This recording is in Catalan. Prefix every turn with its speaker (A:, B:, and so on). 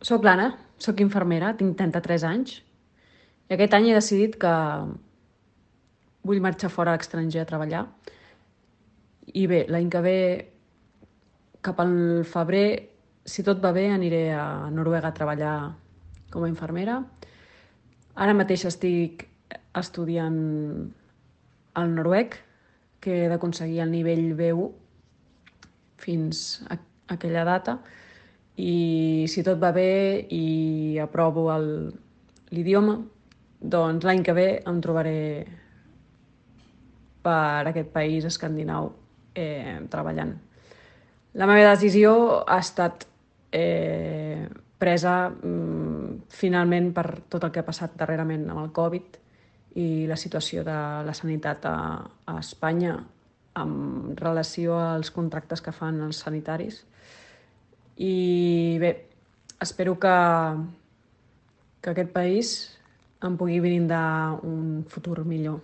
A: Soc l'Anna, soc infermera, tinc 33 anys i aquest any he decidit que vull marxar fora a l'estranger a treballar. I bé, l'any que ve, cap al febrer, si tot va bé, aniré a Noruega a treballar com a infermera. Ara mateix estic estudiant el noruec, que he d'aconseguir el nivell B1 fins a aquella data. I si tot va bé i aprovo l'idioma, doncs l'any que ve em trobaré per aquest país escandinau treballant. La meva decisió ha estat presa finalment per tot el que ha passat darrerament amb el Covid i la situació de la sanitat a Espanya amb relació als contractes que fan els sanitaris. I bé, espero que aquest país em pugui brindar un futur millor.